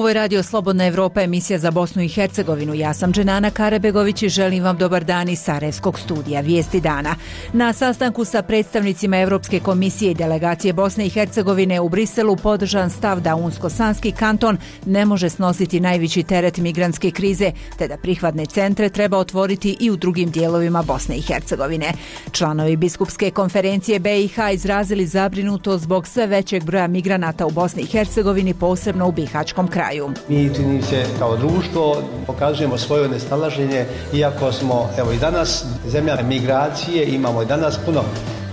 Ovo je Radio Slobodna Evropa, emisija za Bosnu i Hercegovinu. Ja sam Dženana Karabegović i želim vam dobar dan iz Sarajevskog studija Vijesti dana. Na sastanku sa predstavnicima Evropske komisije i delegacije Bosne i Hercegovine u Briselu podržan stav da Unsko-Sanski kanton ne može snositi najveći teret migrantske krize, te da prihvatne centre treba otvoriti i u drugim dijelovima Bosne i Hercegovine. Članovi Biskupske konferencije BiH izrazili zabrinutost zbog sve većeg broja migranata u Bosni i Hercegovini, posebno u bihaćkom kraju. Mi čini se kao društvo pokazujemo svoje nesnalaženje, iako smo i danas zemlja migracije, imamo i danas puno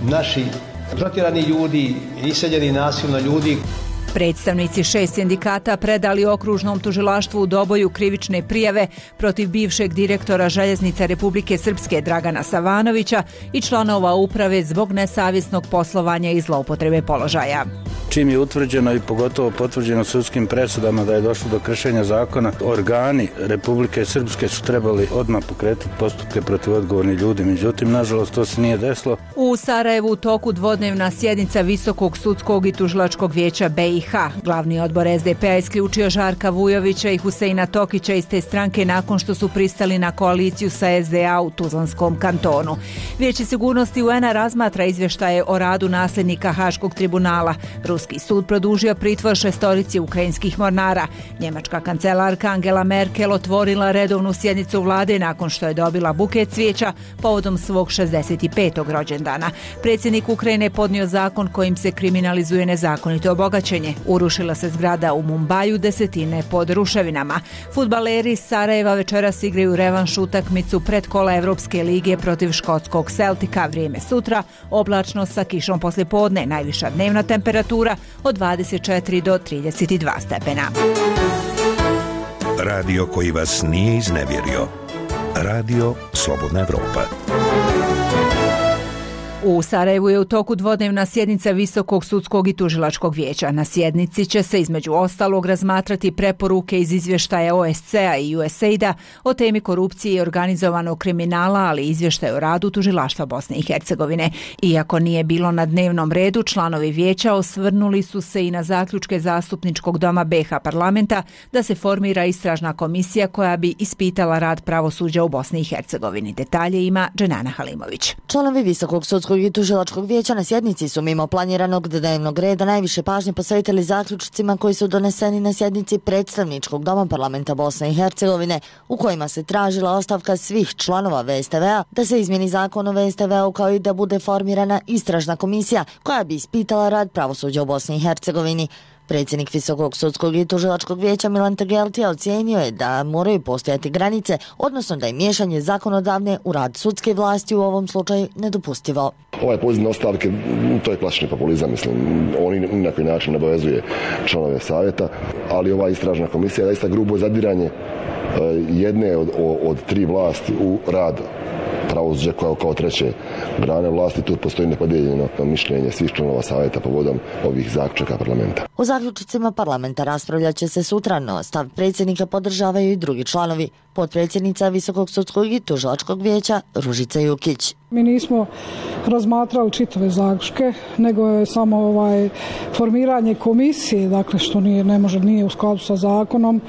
naših protjerani ljudi, iseljeni nasilno ljudi. Predstavnici 6 sindikata predali okružnom tužilaštvu u Doboju krivične prijave protiv bivšeg direktora Željeznica Republike Srpske Dragana Savanovića i članova uprave zbog nesavjesnog poslovanja i zloupotrebe položaja. Čim je utvrđeno i pogotovo potvrđeno sudskim presudama da je došlo do kršenja zakona, organi Republike Srpske su trebali odmah pokretati postupke protiv odgovornih ljudi. Međutim, nažalost, to se nije desilo. U Sarajevu u toku dvodnevna sjednica Visokog sudskog i tužilačkog vijeća BiH. Glavni odbor SDP-a isključio Žarka Vujovića i Huseina Tokića iz te stranke nakon što su pristali na koaliciju sa SDA u Tuzlanskom kantonu. Vijeće sigurnosti UN-a razmatra izvještaje o radu nasljednika Haškog tribunala. Ruski sud produžio pritvor 6 ukrajinskih mornara. Njemačka kancelarka Angela Merkel otvorila redovnu sjednicu vlade nakon što je dobila buket cvijeća povodom svog 65. rođendana. Predsjednik Ukrajine podnio zakon kojim se kriminalizuje nezakonito obogaćenje. Urušila se zgrada u Mumbaju, desetine pod ruševinama. Fudbaleri iz Sarajeva večeras igraju revanš utakmicu predkola Evropske lige protiv škotskog Celtica. Vrijeme sutra, oblačno sa kišom poslijepodne, najviša dnevna temperatura od 24 do 32 stepena. Radio koji vas nije iznevjerio. Radio Slobodna Evropa. U Sarajevu je u toku dvodnevna sjednica Visokog sudskog i tužilačkog vijeća. Na sjednici će se između ostalog razmatrati preporuke iz izvještaja OSCE-a i USAID-a o temi korupcije i organizovanog kriminala, ali i izvještaj o radu tužilaštva Bosne i Hercegovine. Iako nije bilo na dnevnom redu, članovi vijeća osvrnuli su se i na zaključke Zastupničkog doma BiH parlamenta da se formira istražna komisija koja bi ispitala rad pravosuđa u Bosni i Hercegovini. Detalje ima Dženana Halimović. Članovi Visokog sudskog i tužilačkog vijeća na sjednici su mimo planiranog dnevnog reda najviše pažnje posvetili zaključcima koji su doneseni na sjednici Predstavničkog doma parlamenta Bosne i Hercegovine, u kojima se tražila ostavka svih članova VSTV-a, da se izmjeni zakon o VSTV-u kao i da bude formirana istražna komisija koja bi ispitala rad pravosuđa u Bosni i Hercegovini. Predsjednik Visokog sudskog i tužilačkog vijeća Milan Tegeltija ocijenio je da moraju postojati granice, odnosno da je miješanje zakonodavne u rad sudske vlasti u ovom slučaju nedopustivo. Ovaj poziv na ostavke, to je klasični populizam, mislim. On ni na koji način ne obavezuje članove savjeta, ali ova istražna komisija je zaista grubo zadiranje jedne od tri vlasti u rad pravosuđa kao treće grane vlasti. Tu postoji nepodijeljeno mišljenje svih članova savjeta povodom ovih zaključaka parlamenta. U zaključcima parlamenta raspravljat će se sutra, no stav predsjednika podržavaju i drugi članovi. Potpredsjednica Visokog sudskog i tužilačkog vijeća Ružica Jukić. Mi nismo razmatrali čitave zaključke, nego je samo formiranje komisije, dakle što nije u skladu sa zakonom,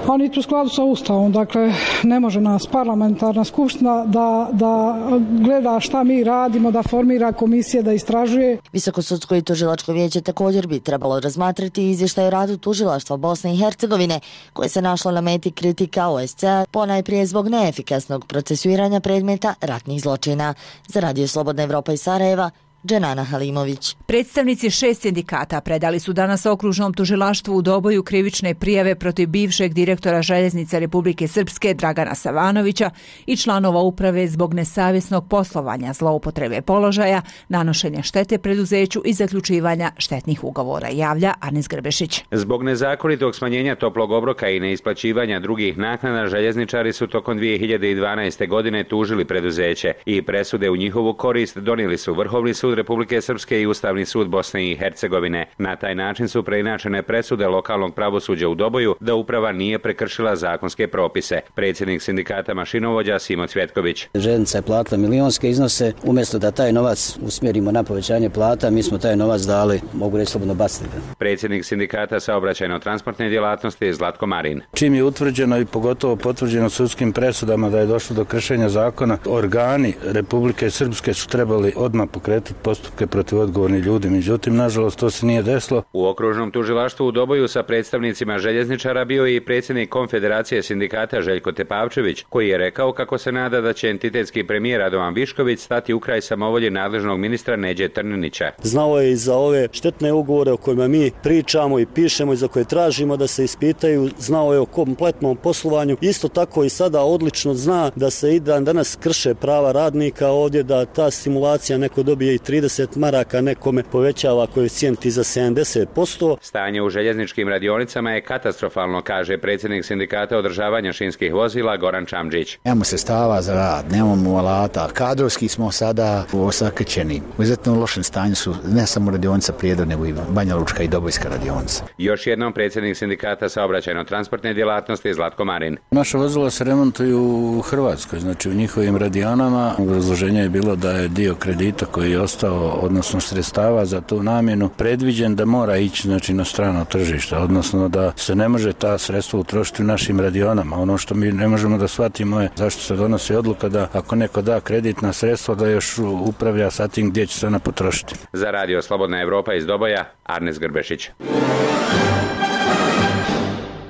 a niti u skladu sa Ustavom. Dakle, ne može nas parlamentarna skupština da gleda šta mi radimo, da formira komisije, da istražuje. Visoko sudsko i tužilačko vijeće također bi trebalo razmatrati izvještaj o radu tužilaštva Bosne i Hercegovine, koje se našlo na meti kritika OSCE-a, ponajprije zbog neefikasnog procesuiranja predmeta ratnih zločina. Za Radio Slobodna Evropa iz Sarajeva, Dženana Halimović. Predstavnici 6 sindikata predali su danas okružnom tužilaštvu u Doboju krivične prijave protiv bivšeg direktora Željeznica Republike Srpske Dragana Savanovića i članova uprave zbog nesavjesnog poslovanja, zloupotrebe položaja, nanošenja štete preduzeću i zaključivanja štetnih ugovora, javlja Anis Grbešić. Zbog nezakonitog smanjenja toplog obroka i neisplaćivanja drugih naknada, željezničari su tokom 2012. godine tužili preduzeće i presude u njihovu korist donijeli su Vrhovni sud, sud Republike Srpske i Ustavni sud Bosne i Hercegovine. Na taj način su preinačene presude lokalnog pravosuđa u Doboju da uprava nije prekršila zakonske propise. Predsjednik sindikata mašinovođa Simo Cvjetković. Željeznica je platila milionske iznose, umjesto da taj novac usmjerimo na povećanje plata, mi smo taj novac dali, mogu reći slobodno, baciti. Predsjednik sindikata saobraćajno-transportne djelatnosti Zlatko Marin. Čim je utvrđeno i pogotovo potvrđeno sudskim presudama da je došlo do kršenja zakona, organi Republike Srpske su trebali odmah pokretati postupke protiv odgovornih ljudi. Međutim, nažalost, to se nije desilo. U okružnom tužilaštvu u Doboju sa predstavnicima željezničara bio i predsjednik Konfederacije sindikata Željko Tepavčević, koji je rekao kako se nada da će entitetski premijer Radovan Višković stati u kraj samovolji nadležnog ministra Neđe Trninića. Znao je i za ove štetne ugovore o kojima mi pričamo i pišemo i za koje tražimo da se ispitaju, znao je o kompletnom poslovanju. Isto tako i sada odlično zna da se i dan danas krše prava radnika ovdje, da ta stimulacija neko dobije i 30 maraka, nekome povećava koeficijent za 70%. Stanje u željezničkim radionicama je katastrofalno, kaže predsjednik sindikata održavanja šinskih vozila Goran Čamđić. Nemamo sredstava za rad, nemamo alata, kadrovski smo sada osakaćeni. U izuzetno lošem stanju su ne samo radionica Prijedor, nego i Banja Lučka i Dobojska radionica. Još jednom predsjednik sindikata saobraćajno-transportne djelatnosti Zlatko Marin. Naša vozila se remontuju u Hrvatskoj, znači u njihovim radionama. Obrazloženje je bilo da je dio kredita koji je ostao, odnosno sredstava za tu namjenu, predviđen da mora ići znači na strano tržište, odnosno da se ne može ta sredstva utrošiti u našim radionama. Ono što mi ne možemo da shvatimo je zašto se donosi odluka da ako neko da kreditna sredstva da još upravlja sa tim gdje će se ona potrošiti. Za Radio Slobodna Evropa iz Doboja, Arnes Grbešić.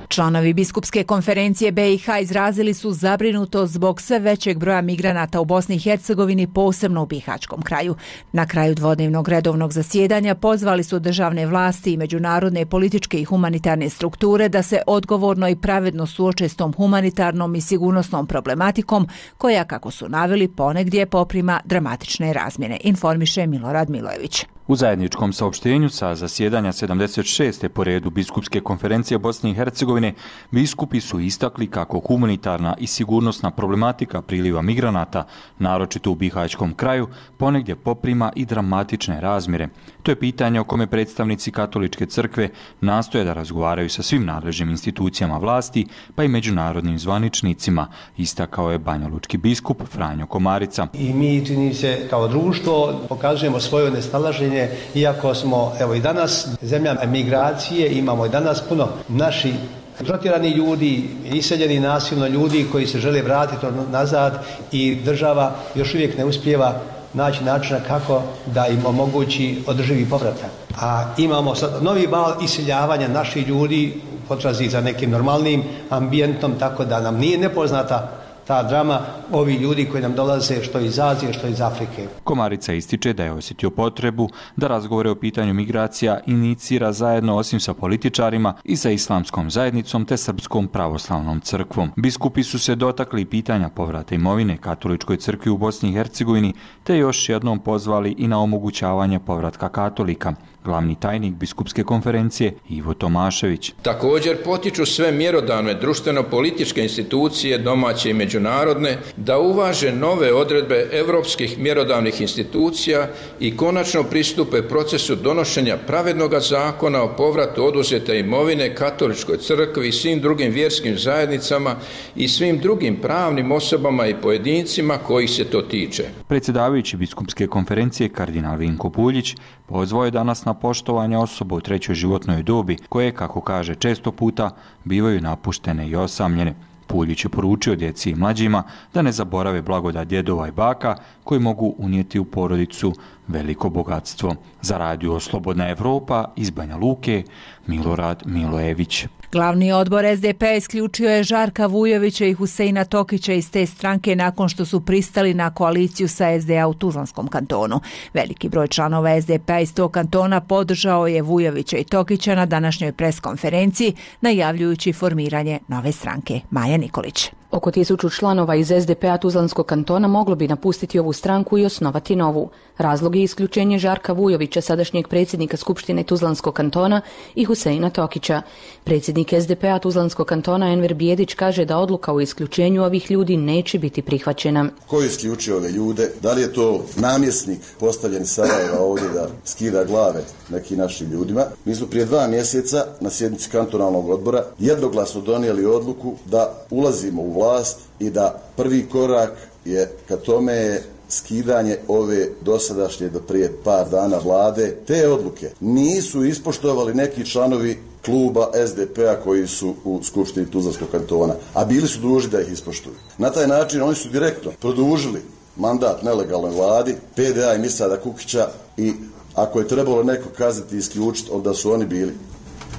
Članovi Biskupske konferencije BiH izrazili su zabrinutost zbog sve većeg broja migranata u Bosni i Hercegovini, posebno u Bihaćkom kraju. Na kraju dvodnevnog redovnog zasjedanja pozvali su državne vlasti i međunarodne političke i humanitarne strukture da se odgovorno i pravedno suoče s tom humanitarnom i sigurnosnom problematikom koja, kako su naveli, ponegdje poprima dramatične razmjene, informiše Milorad Milojević. U zajedničkom saopštenju sa zasjedanja 76. po redu Biskupske konferencije Bosne i Hercegovine, biskupi su istakli kako humanitarna i sigurnosna problematika priliva migranata, naročito u Bihaćkom kraju, ponegdje poprima i dramatične razmjere. To je pitanje o kome predstavnici Katoličke crkve nastoje da razgovaraju sa svim nadležnim institucijama vlasti, pa i međunarodnim zvaničnicima, istakao je banjalučki biskup Franjo Komarica. I mi, čini se, kao društvo pokazujemo svoje nesnalaženje, iako smo i danas zemlja emigracije, imamo i danas puno naših protjerani ljudi, iseljeni nasilno ljudi koji se žele vratiti nazad i država još uvijek ne uspijeva naći načina kako da im omogući održivi povratak. A imamo sad novi val iseljavanja naših ljudi u potrazi za nekim normalnim ambijentom, tako da nam nije nepoznata ta drama ovi ljudi koji nam dolaze što iz Azije, što iz Afrike. Komarica ističe da je osjetio potrebu da razgovore o pitanju migracija inicira zajedno osim sa političarima i sa islamskom zajednicom te Srpskom pravoslavnom crkvom. Biskupi su se dotakli pitanja povrata imovine Katoličkoj crkvi u Bosni i Hercegovini te još jednom pozvali i na omogućavanje povratka katolika. Glavni tajnik Biskupske konferencije Ivo Tomašević. Također potiču sve mjerodavne društveno-političke institucije, domaće i međunarodne, da uvaže nove odredbe europskih mjerodavnih institucija i konačno pristupe procesu donošenja pravednog zakona o povratu oduzete imovine Katoličkoj crkvi i svim drugim vjerskim zajednicama i svim drugim pravnim osobama i pojedincima kojih se to tiče. Predsjedavajući Biskupske konferencije kardinal Vinko Puljić pozvao je danas na poštovanje osoba u trećoj životnoj dobi koje, kako kaže, često puta bivaju napuštene i osamljene. Puljić je poručio djeci i mlađima da ne zaborave blagodat djedova i baka koji mogu unijeti u porodicu veliko bogatstvo. Za Radio Slobodna Evropa iz Banja Luke, Milorad Milojević. Glavni odbor SDP-a isključio je Žarka Vujovića i Huseina Tokića iz te stranke nakon što su pristali na koaliciju sa SDA u Tuzlanskom kantonu. Veliki broj članova SDP-a iz tog kantona podržao je Vujovića i Tokića na današnjoj preskonferenciji, najavljujući formiranje nove stranke. Maja Nikolić. Oko 1000 članova iz SDP-a Tuzlanskog kantona moglo bi napustiti ovu stranku i osnovati novu. Razlog je isključenje Žarka Vujovića, sadašnjeg predsjednika Skupštine Tuzlanskog kantona, i Huseina Tokića. Predsjednik SDP-a Tuzlanskog kantona Enver Bijedić kaže da odluka o isključenju ovih ljudi neće biti prihvaćena. Ko je isključio ove ljude? Da li je to namjesnik postavljen Sarajeva ovdje da skida glave nekim našim ljudima? Mi smo prije 2 mjeseca na sjednici kantonalnog odbora jednoglasno donijeli odluku da ulazimo u vlast i da prvi korak je ka tome je skidanje ove dosadašnje do prije par dana vlade. Te odluke nisu ispoštovali neki članovi kluba SDP-a koji su u Skupštini Tuzlanskog kantona, a bili su dužni da ih ispoštuju. Na taj način oni su direktno produžili mandat nelegalnoj vladi, PDA i Misada Kukića, i ako je trebalo neko kazniti i isključiti, onda su oni bili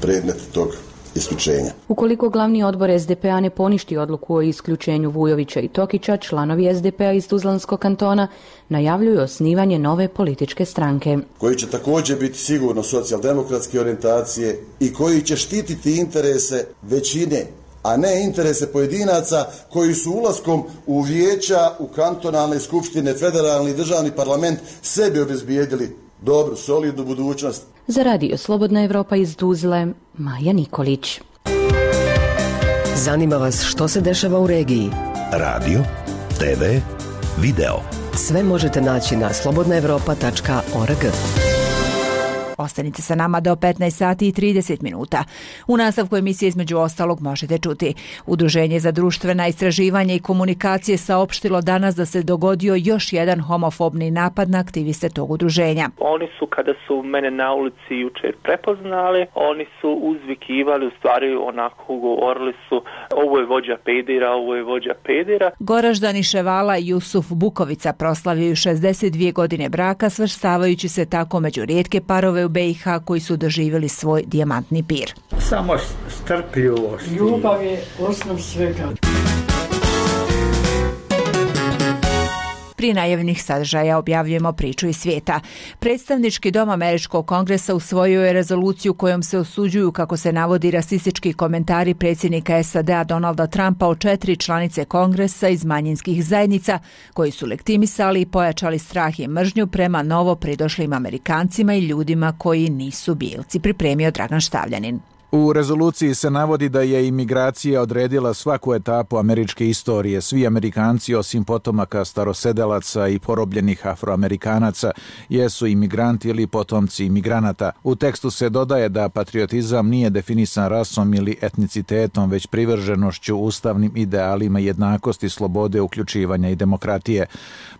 predmet tog isključenja. Ukoliko glavni odbor SDP-a ne poništi odluku o isključenju Vujovića i Tokića, članovi SDP-a iz Tuzlanskog kantona najavljuju osnivanje nove političke stranke, koji će također biti sigurno socijaldemokratske orijentacije i koji će štititi interese većine, a ne interese pojedinaca koji su ulaskom u vijeća, u kantonalne skupštine, federalni i državni parlament sebi obezbijedili dobru, solidnu budućnost. Za Radio Slobodna Evropa iz Tuzle, Maja Nikolić. Zanima vas što se dešava u regiji? Radio, TV, video. Sve možete naći na slobodnaevropa.org. Ostanite sa nama do 15 sati i 30 minuta. U nastavku emisije između ostalog možete čuti: Udruženje za društvena istraživanja i komunikacije saopštilo danas da se dogodio još jedan homofobni napad na aktiviste tog udruženja. Oni su, kada su mene na ulici jučer prepoznali, oni su uzvikivali, u stvari onako govorili su: ovo je vođa pedera, ovo je vođa pedera. Goraždani Ševala i Jusuf Bukovica proslavljaju 62 godine braka, svrstavajući se tako među rijetke parove u BiH koji su doživjeli svoj dijamantni pir. Samo strpljivost. Ljubav je osnov svega. Prije najavljenih sadržaja objavljujemo priču iz svijeta. Predstavnički dom Američkog kongresa usvojio je rezoluciju kojom se osuđuju, kako se navodi, rasistički komentari predsjednika SAD-a Donalda Trumpa o 4 članice kongresa iz manjinskih zajednica koji su lektimisali i pojačali strah i mržnju prema novo pridošlim Amerikancima i ljudima koji nisu bijelci. Pripremio Dragan Štavljanin. U rezoluciji se navodi da je imigracija odredila svaku etapu američke istorije. Svi Amerikanci, osim potomaka starosedelaca i porobljenih Afroamerikanaca, jesu imigranti ili potomci imigranata. U tekstu se dodaje da patriotizam nije definisan rasom ili etnicitetom, već privrženošću ustavnim idealima jednakosti, slobode, uključivanja i demokratije.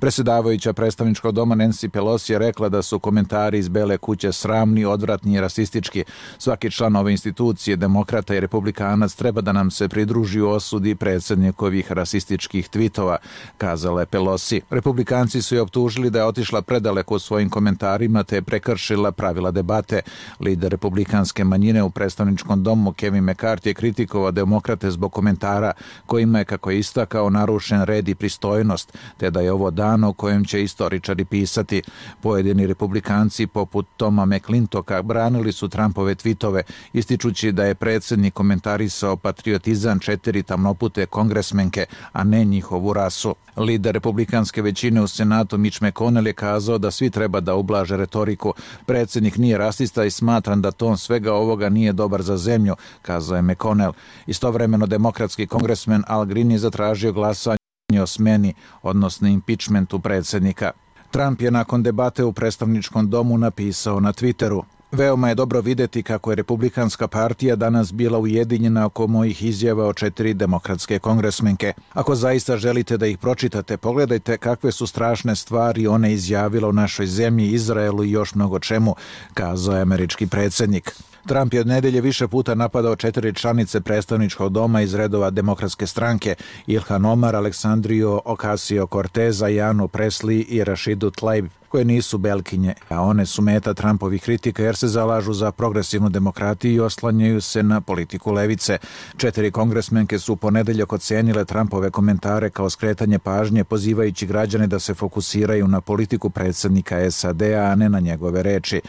Predsjedavajuća predstavničkog doma Nancy Pelosi je rekla da su komentari iz Bele kuće sramni, odvratni i rasistički. Svaki član ove institucije, demokrata i republikanac, treba da nam se pridruži u osudi predsjednikovih rasističkih tvitova, kazala je Pelosi. Republikanci su je optužili da je otišla predaleko u svojim komentarima te je prekršila pravila debate. Lider republikanske manjine u predstavničkom domu Kevin McCarthy je kritikovao demokrate zbog komentara kojima je, kako je istakao, narušen red i pristojnost, te da je ovo dan o kojem će istoričari pisati. Pojedini republikanci poput Toma McClintoka branili su Trumpove tvitove, ističući da je predsjednik komentarisao patriotizam 4 tamnopute kongresmenke, a ne njihovu rasu. Lider republikanske većine u Senatu Mitch McConnell je kazao da svi treba da ublaže retoriku. Predsjednik nije rasista i smatram da ton svega ovoga nije dobar za zemlju, kazao je McConnell. Istovremeno demokratski kongresmen Al Green je zatražio glasanje o smeni, odnosno impičmentu predsjednika. Trump je nakon debate u predstavničkom domu napisao na Twitteru: veoma je dobro vidjeti kako je Republikanska partija danas bila ujedinjena oko mojih izjava o 4 demokratske kongresmenke. Ako zaista želite da ih pročitate, pogledajte kakve su strašne stvari one izjavile o našoj zemlji, Izraelu i još mnogo čemu, kazao je američki predsjednik. Trump je od nedelje više puta napadao 4 članice predstavničkog doma iz redova demokratske stranke: Ilhan Omar, Aleksandriju Ocasio-Corteza, Janu Presley i Rashidu Tlaib. koje nisu belkinje, a one su meta Trumpovih kritika jer se zalažu za progresivnu demokratiju i oslanjaju se na politiku levice. 4 kongresmenke su u ponedeljak ocenile Trumpove komentare kao skretanje pažnje, pozivajući građane da se fokusiraju na politiku predsjednika SAD-a, a ne na njegove reči.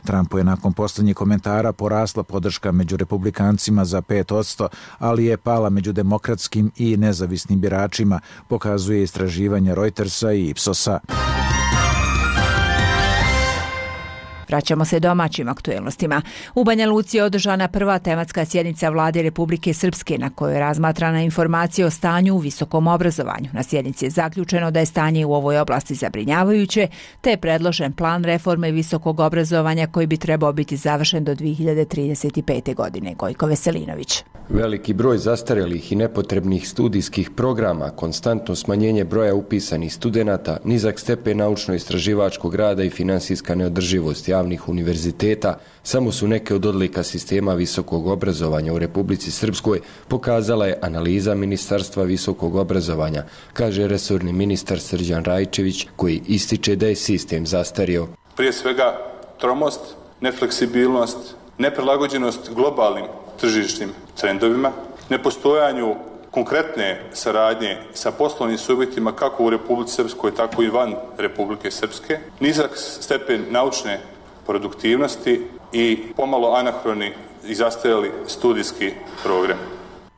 Trumpu je nakon poslednjih komentara porasla podrška među republikancima za 5%, ali je pala među demokratskim i nezavisnim biračima, pokazuje istraživanje Reutersa i Ipsosa. Vraćamo se domaćim aktuelnostima. U Banja Luci je održana prva tematska sjednica Vlade Republike Srpske na kojoj je razmatrana informacija o stanju u visokom obrazovanju. Na sjednici je zaključeno da je stanje u ovoj oblasti zabrinjavajuće, te je predložen plan reforme visokog obrazovanja koji bi trebao biti završen do 2035. godine. Gojko Veselinović. Veliki broj zastarelih i nepotrebnih studijskih programa, konstantno smanjenje broja upisanih studenata, nizak stepen naučno-istraživačkog rada i finansijska neodrživost javnih univerziteta samo su neke od odlika sistema visokog obrazovanja u Republici Srpskoj, pokazala je analiza Ministarstva visokog obrazovanja, kaže resorni ministar Srđan Rajčević, koji ističe da je sistem zastario. Prije svega tromost, nefleksibilnost, neprilagođenost globalnim tržišnim trendovima, nepostojanju konkretne saradnje sa poslovnim subjektima kako u Republici Srpskoj, tako i van Republike Srpske, nizak stepen naučne produktivnosti i pomalo anahroni i zastarjeli studijski program.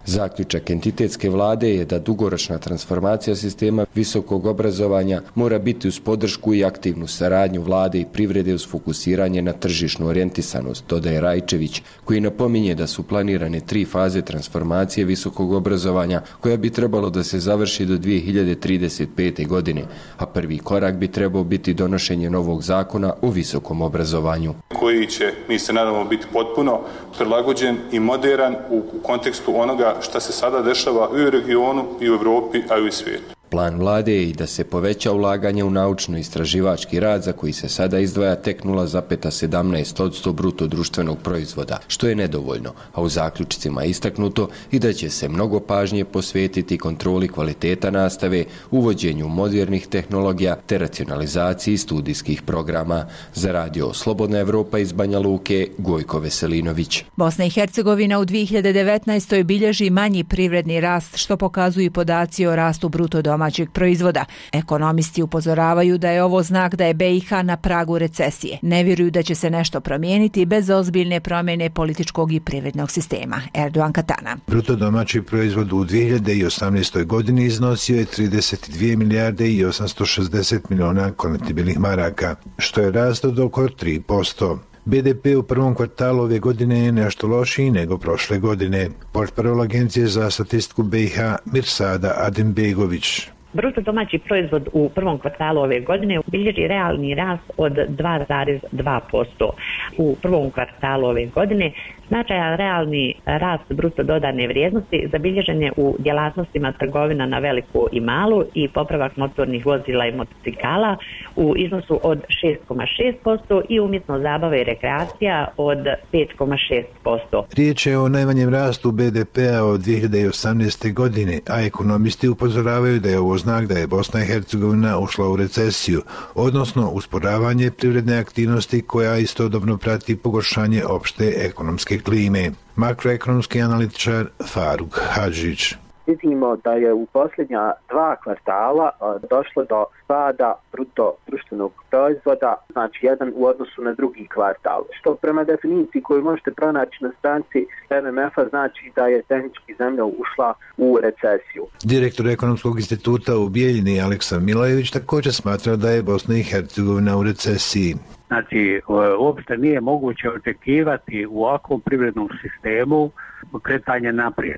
Zaključak entitetske vlade je da dugoročna transformacija sistema visokog obrazovanja mora biti uz podršku i aktivnu saradnju vlade i privrede uz fokusiranje na tržišnu orijentisanost, dodaje Rajčević, koji napominje da su planirane 3 faze transformacije visokog obrazovanja koja bi trebalo da se završi do 2035. godine, a prvi korak bi trebao biti donošenje novog zakona o visokom obrazovanju. Koji će, mi se nadamo, biti potpuno prilagođen i modern u kontekstu onoga šta se sada dešava i u regionu, i u Evropi, a i u svijetu. Plan vlade je i da se poveća ulaganje u naučno-istraživački rad za koji se sada izdvaja tek 0,17% bruto društvenog proizvoda, što je nedovoljno, a u zaključcima je istaknuto i da će se mnogo pažnje posvetiti kontroli kvaliteta nastave, uvođenju modernih tehnologija te racionalizaciji studijskih programa. Za radio Slobodna Evropa iz Banja Luke, Gojko Veselinović. Bosna i Hercegovina u 2019. bilježi manji privredni rast, što pokazuju podaci o rastu bruto domaćeg proizvoda. Ekonomisti upozoravaju da je ovo znak da je BiH na pragu recesije. Ne vjeruju da će se nešto promijeniti bez ozbiljne promjene političkog i privrednog sistema. Erdogan Katana. Bruto domaći proizvod u 2018. godini iznosio je 32 milijarde i 860 miliona konvertibilnih maraka, što je rast od oko 3%. BDP u prvom kvartalu ove godine je nešto lošiji nego prošle godine. Portparol Agencije za statistiku BiH Mirsada Adembegović. Bruto domaći proizvod u prvom kvartalu ove godine bilježi realni rast od 2,2%. U prvom kvartalu ove godine značajan realni rast bruto dodane vrijednosti zabilježen je u djelatnostima trgovina na veliku i malu i popravak motornih vozila i motocikala u iznosu od 6,6% i umjetno zabava i rekreacija od 5,6%. Riječ je o najmanjem rastu BDP-a od 2018. godine, a ekonomisti upozoravaju da je ovo znak da je Bosna i Hercegovina ušla u recesiju, odnosno usporavanje privredne aktivnosti koja istodobno prati pogoršanje opšte ekonomske klime. Makroekonomski analitičar Faruk Hadžić. Vidimo da je u posljednja 2 kvartala došlo do pada bruto društvenog proizvoda, znači jedan u odnosu na drugi kvartal, što prema definiciji koju možete pronaći na stranici MMF-a znači da je tehnički zemlja ušla u recesiju. Direktor Ekonomskog instituta u Bijeljini Aleksa Milajević također smatra da je Bosna i Hercegovina u recesiji. Znači, uopšte nije moguće očekivati u ovakvom privrednom sistemu kretanje naprijed.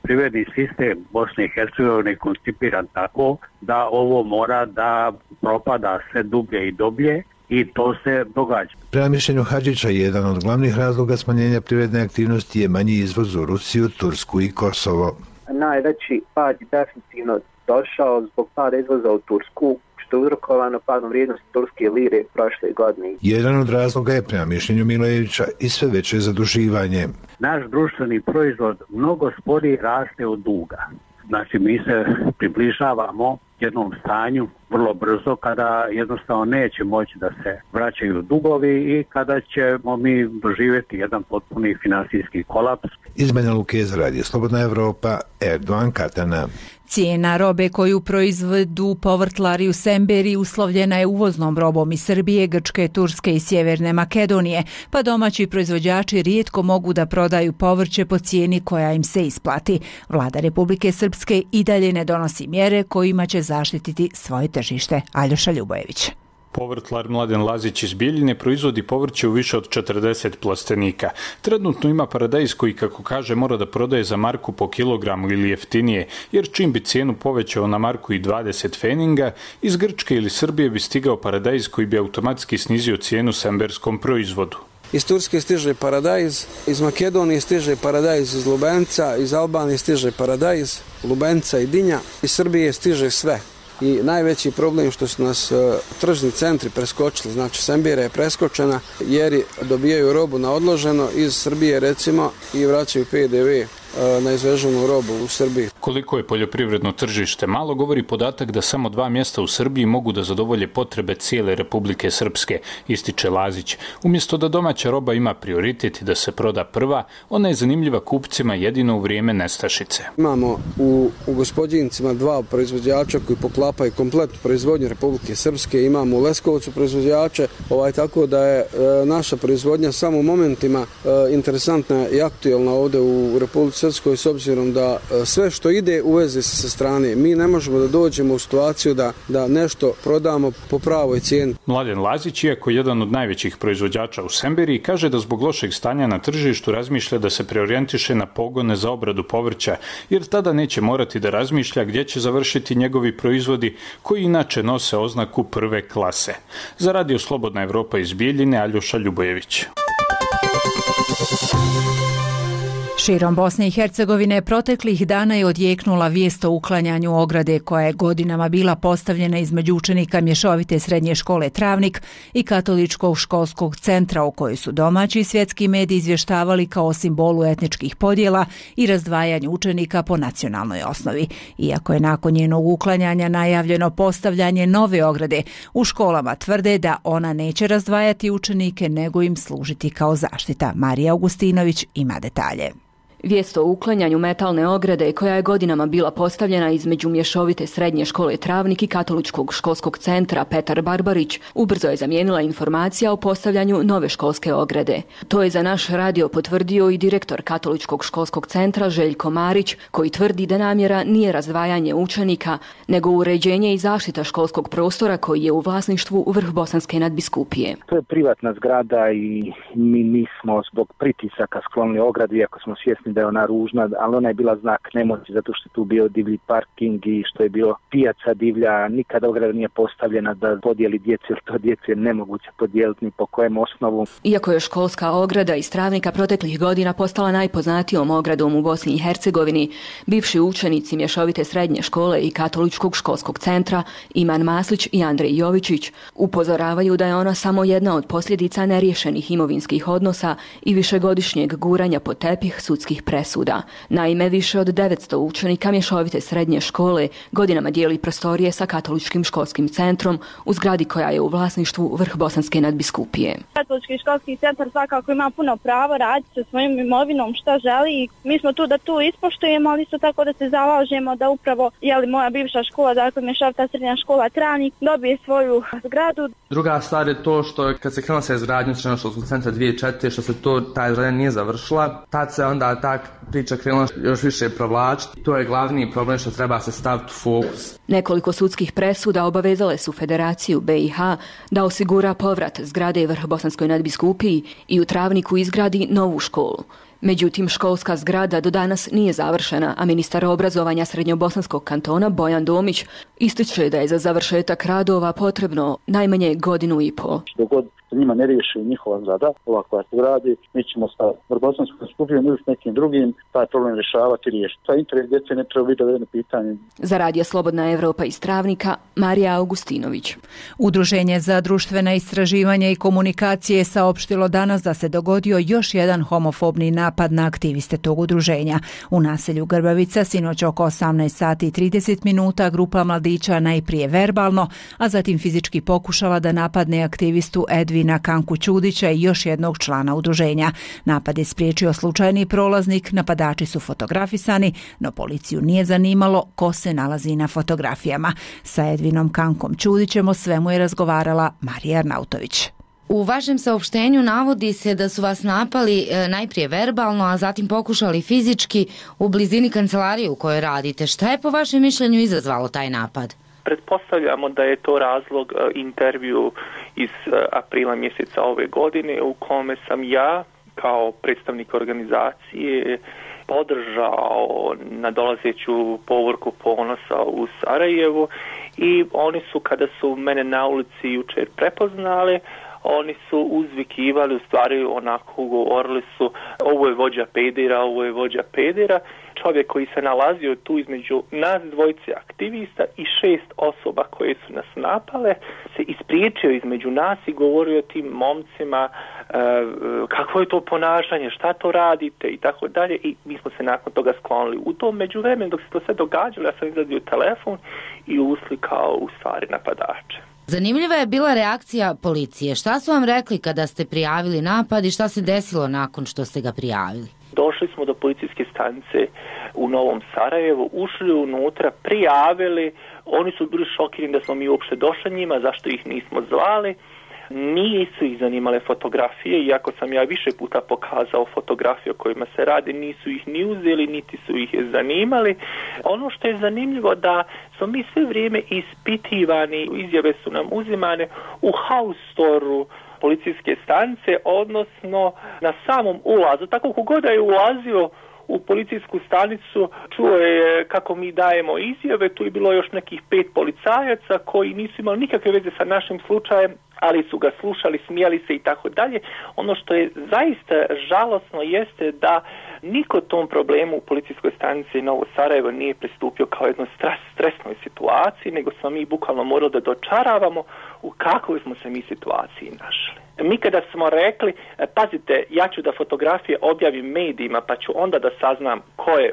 Privredni sistem Bosne i Hercegovine je koncipiran tako da ovo mora da propada sve dublje i dublje i to se događa. Prema mišljenju Hadžića, jedan od glavnih razloga smanjenja privredne aktivnosti je manji izvoz u Rusiju, Tursku i Kosovo. Najveći pad je definitivno došao zbog pada izvoza u Tursku, što je uzrokovano padom vrijednosti turske lire prošle godine. Jedan od razloga je, prema mišljenju Milajevića, i sve veće zaduživanje. Naš društveni proizvod mnogo sporije raste od duga. Znači, mi se približavamo jednom stanju vrlo brzo, kada jednostavno neće moći da se vraćaju dugovi i kada ćemo mi doživjeti jedan potpuni finansijski kolaps. Iz Banja Luke za Radio Slobodna Evropa, Erdogan Katana. Cijena robe koju proizvedu povrtlari u Semberi uslovljena je uvoznom robom iz Srbije, Grčke, Turske i Sjeverne Makedonije, pa domaći proizvođači rijetko mogu da prodaju povrće po cijeni koja im se isplati. Vlada Republike Srpske i dalje ne donosi mjere kojima će zaštititi svoje tržište. Aljoša Ljubojević. Povrtlar Mladen Lazić iz Bijeljine proizvodi povrće u više od 40 plastenika. Trenutno ima paradajz koji, kako kaže, mora da prodaje za marku po kilogramu ili jeftinije, jer čim bi cijenu povećao na marku i 20 feninga, iz Grčke ili Srbije bi stigao paradajz koji bi automatski snizio cijenu semberskom proizvodu. Iz Turske stiže paradajz, iz Makedonije stiže paradajz iz Lubenca, iz Albanije stiže paradajz, Lubenca i dinja, iz Srbije stiže sve. I najveći problem što su nas tržni centri preskočili, znači Sembera je preskočena jer dobijaju robu na odloženo iz Srbije recimo i vraćaju PDV na izveženu robu u Srbiji. Koliko je poljoprivredno tržište malo, govori podatak da samo 2 mjesta u Srbiji mogu da zadovolje potrebe cijele Republike Srpske, ističe Lazić. Umjesto da domaća roba ima prioritet i da se proda prva, ona je zanimljiva kupcima jedino u vrijeme nestašice. Imamo u Gospodincima 2 proizvođača koji poklapaju kompletnu proizvodnju Republike Srpske, imamo u Leskovcu proizvođače, tako da je naša proizvodnja samo u momentima interesantna i aktualna ovdje u Republike Srpskoj, s obzirom da sve što ide uveze se sa strane. Mi ne možemo da dođemo u situaciju da nešto prodamo po pravoj cijeni. Mladen Lazić, iako jedan od najvećih proizvođača u Semberi, kaže da zbog lošeg stanja na tržištu razmišlja da se preorijentiše na pogone za obradu povrća, jer tada neće morati da razmišlja gdje će završiti njegovi proizvodi koji inače nose oznaku prve klase. Za Radio Slobodna Evropa iz Bijeljine, Aljoša Ljubojević. Širom Bosne i Hercegovine proteklih dana je odjeknula vijest o uklanjanju ograde koja je godinama bila postavljena između učenika mješovite srednje škole Travnik i Katoličkog školskog centra, o kojoj su domaći i svjetski mediji izvještavali kao simbolu etničkih podjela i razdvajanju učenika po nacionalnoj osnovi. Iako je nakon njenog uklanjanja najavljeno postavljanje nove ograde, u školama tvrde da ona neće razdvajati učenike nego im služiti kao zaštita. Marija Augustinović ima detalje. Vijest o uklanjanju metalne ograde koja je godinama bila postavljena između mješovite srednje škole Travnik i Katoličkog školskog centra Petar Barbarić ubrzo je zamijenila informacija o postavljanju nove školske ograde. To je za naš radio potvrdio i direktor Katoličkog školskog centra Željko Marić, koji tvrdi da namjera nije razdvajanje učenika, nego uređenje i zaštita školskog prostora koji je u vlasništvu Vrhbosanske nadbiskupije. To je privatna zgrada i mi nismo zbog pritisaka sklonili ogradu, iako smo svjesni da je ona ružna, ali ona je bila znak nemoći zato što je tu bio divlji parking i što je bilo pijaca divlja. Nikada ograda nije postavljena da podijeli djecu, jer to djecu je nemoguće podijeliti ni po kojem osnovu. Iako je školska ograda iz Travnika proteklih godina postala najpoznatijom ogradom u Bosni i Hercegovini, bivši učenici mješovite srednje škole i Katoličkog školskog centra Iman Maslić i Andrej Jovičić upozoravaju da je ona samo jedna od posljedica neriješenih imovinskih odnosa i višegodišnjeg guranja pod tepih sudskih presuda. Naime, više od 900 učenika mješovite srednje škole godinama dijeli prostorije sa Katoličkim školskim centrom u zgradi koja je u vlasništvu Vrhbosanske nadbiskupije. Katolički školski centar svakako ima puno pravo raditi sa svojim imovinom šta želi i mi smo tu da tu ispoštujemo, ali isto tako da se zalažemo da upravo moja bivša škola, dakle mješovita srednja škola Travnik, dobije svoju zgradu. Druga stvar je to što kad se krenulo sa izgradnjom srednjoškolskog centra 2004. što se ta izgradnja nije završila, tad se onda ta priča krenula još više provlačiti. To je glavni problem što treba se staviti u fokus. Nekoliko sudskih presuda obavezale su Federaciju BiH da osigura povrat zgrade Vrhbosanskoj nadbiskupiji i u Travniku izgradi novu školu. Međutim, školska zgrada do danas nije završena, a ministar obrazovanja Srednjobosanskog kantona Bojan Domić ističe da je za završetak radova potrebno najmanje 1,5 godinu. Dogod njima ne riješi njihova zgrada, ova koja se gradi, mi ćemo sa Vrhbosanskom skupijom ili s nekim drugim taj problem rješavati i riješiti. Taj interes djece ne treba biti dovedeno pitanje. Za Radio Slobodna Evropa iz Travnika, Marija Augustinović. Udruženje za društvena istraživanja i komunikacije je saopštilo danas da se dogodio još jedan homofobni napad na aktiviste tog udruženja. U naselju Grbavica sinoć oko 18 sati i 30 minuta grupa mladića najprije verbalno, a zatim fizički pokušala da napadne aktivistu Edvina Kanku Ćudića i još jednog člana udruženja. Napad je spriječio slučajni prolaznik, napadači su fotografisani, no policiju nije zanimalo ko se nalazi na fotografijama. Sa Edvinom Kankom Ćudićem o svemu je razgovarala Marija Arnautović. U vašem saopštenju navodi se da su vas napali najprije verbalno, a zatim pokušali fizički u blizini kancelarije u kojoj radite. Šta je po vašem mišljenju izazvalo taj napad? Pretpostavljamo da je to razlog intervju iz aprila mjeseca ove godine u kome sam ja kao predstavnik organizacije podržao nadolazeću povorku ponosa u Sarajevu i oni su, kada su mene na ulici jučer prepoznali, oni su uzvikivali, u stvari onako govorili su ovo je vođa pedera, ovo je vođa pedera. Čovjek koji se nalazio tu između nas dvojice aktivista i 6 osoba koje su nas napale se ispriječio između nas i govorio tim momcima kakvo je to ponašanje, šta to radite i tako dalje, i mi smo se nakon toga sklonili. U tom međuvremenu dok se to sve događalo, ja sam izvadio telefon i uslikao u stvari napadače. Zanimljiva je bila reakcija policije. Šta su vam rekli kada ste prijavili napad i šta se desilo nakon što ste ga prijavili? Došli smo do policijske stanice u Novom Sarajevu, ušli unutra, prijavili, oni su bili šokirani da smo mi uopšte došli njima, zašto ih nismo zvali. Nisu ih zanimale fotografije, iako sam ja više puta pokazao fotografije o kojima se radi, nisu ih ni uzeli, niti su ih zanimali. Ono što je zanimljivo da smo mi sve vrijeme ispitivani, izjave su nam uzimane u house store-u policijske stanice, odnosno na samom ulazu. Tako kogod je ulazio u policijsku stanicu, čuo je kako mi dajemo izjave, tu je bilo još nekih 5 policajaca koji nisu imali nikakve veze sa našim slučajem, ali su ga slušali, smijali se i tako dalje. Ono što je zaista žalosno jeste da niko tom problemu u policijskoj stanici Novo Sarajevo nije pristupio kao jednoj stresnoj situaciji, nego smo mi bukvalno morali da dočaravamo u kakvoj smo se mi situaciji našli. Mi kada smo rekli, pazite, ja ću da fotografije objavim medijima pa ću onda da saznam ko je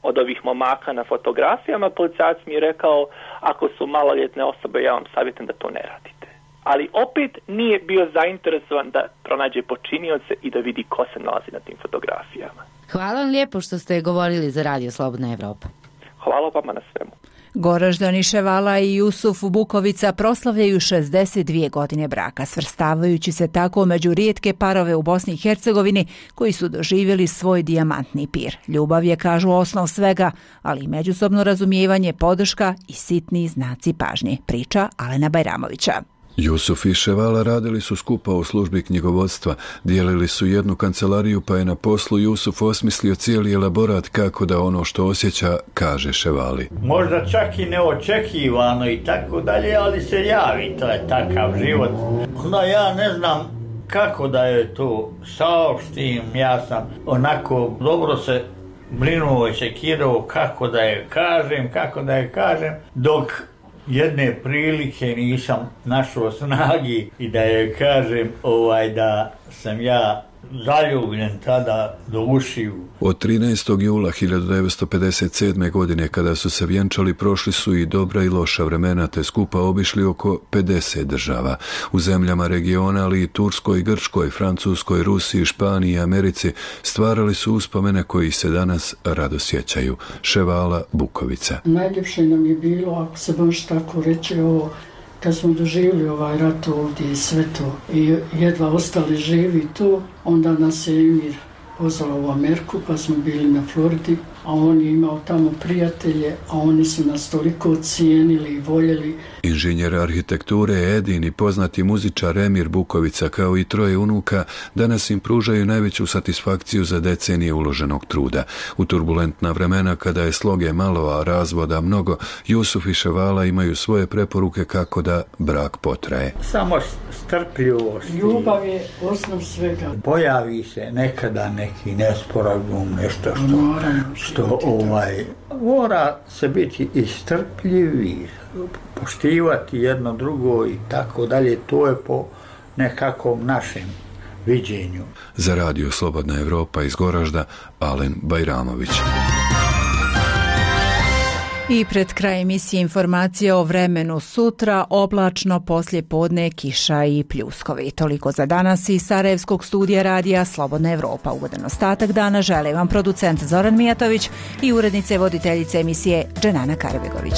od ovih momaka na fotografijama, policajac mi je rekao, ako su maloljetne osobe, ja vam savjetujem da to ne radite. Ali opet nije bio zainteresovan da pronađe počinioce i da vidi ko se nalazi na tim fotografijama. Hvala vam lijepo što ste govorili za Radio Slobodna Evropa. Hvala vama na svemu. Goraždani Ševala i Jusuf Bukovica proslavljaju 62 godine braka, svrstavajući se tako među rijetke parove u Bosni i Hercegovini koji su doživjeli svoj dijamantni pir. Ljubav je, kažu, osnov svega, ali i međusobno razumijevanje, podrška i sitni znaci pažnje, priča Alena Bajramovića. Jusuf i Ševala radili su skupa u službi knjigovodstva, dijelili su jednu kancelariju, pa je na poslu Jusuf osmislio cijeli elaborat kako da ono što osjeća kaže Ševali. Možda čak i neočekivano i tako dalje, ali se javi, to je takav život. Onda ja ne znam kako da je to saopštim, ja sam onako dobro se brinuo i sekirao kako da je kažem, dok jedne prilike nisam našao snagi i da je kažem da sam ja zaljubljen tada do ušiju. Od 13. jula 1957. godine kada su se vjenčali, prošli su i dobra i loša vremena, te skupa obišli oko 50 država. U zemljama regiona, ali i Turskoj, Grčkoj, Francuskoj, Rusiji, Španiji i Americi stvarali su uspomene koji se danas rado sjećaju. Ševala Bukovica. Najljepše nam je bilo, ako se baš tako reći, kad smo doživjeli ovaj rat ovdje i sve to i jedva ostali živi tu, onda nas je Emir pozvao u Ameriku, pa smo bili na Floridi, a on je imao tamo prijatelje, a oni su nas toliko cijenili i voljeli. Inženjer arhitekture Edin i poznati muzičar Emir Bukovica, kao i 3 unuka, danas im pružaju najveću satisfakciju za decenije uloženog truda. U turbulentna vremena, kada je sloge malo, a razvoda mnogo, Jusuf i Ševala imaju svoje preporuke kako da brak potraje. Samo strpljivost. Ljubav je osnov svega. Pojavi se nekada neki nesporazum, nešto što mora se biti istrpljivi, poštivati jedno drugo i tako dalje. To je po nekakvom našem viđenju. Za radio Slobodna Evropa iz Goražda, Alen Bajramović. I pred kraj emisije informacije o vremenu sutra, oblačno, poslije podne, kiša i pljuskovi. Toliko za danas iz Sarajevskog studija radija Slobodna Evropa. Ugodan ostatak dana žele vam producent Zoran Mijatović i urednice voditeljice emisije Dženana Karbegović.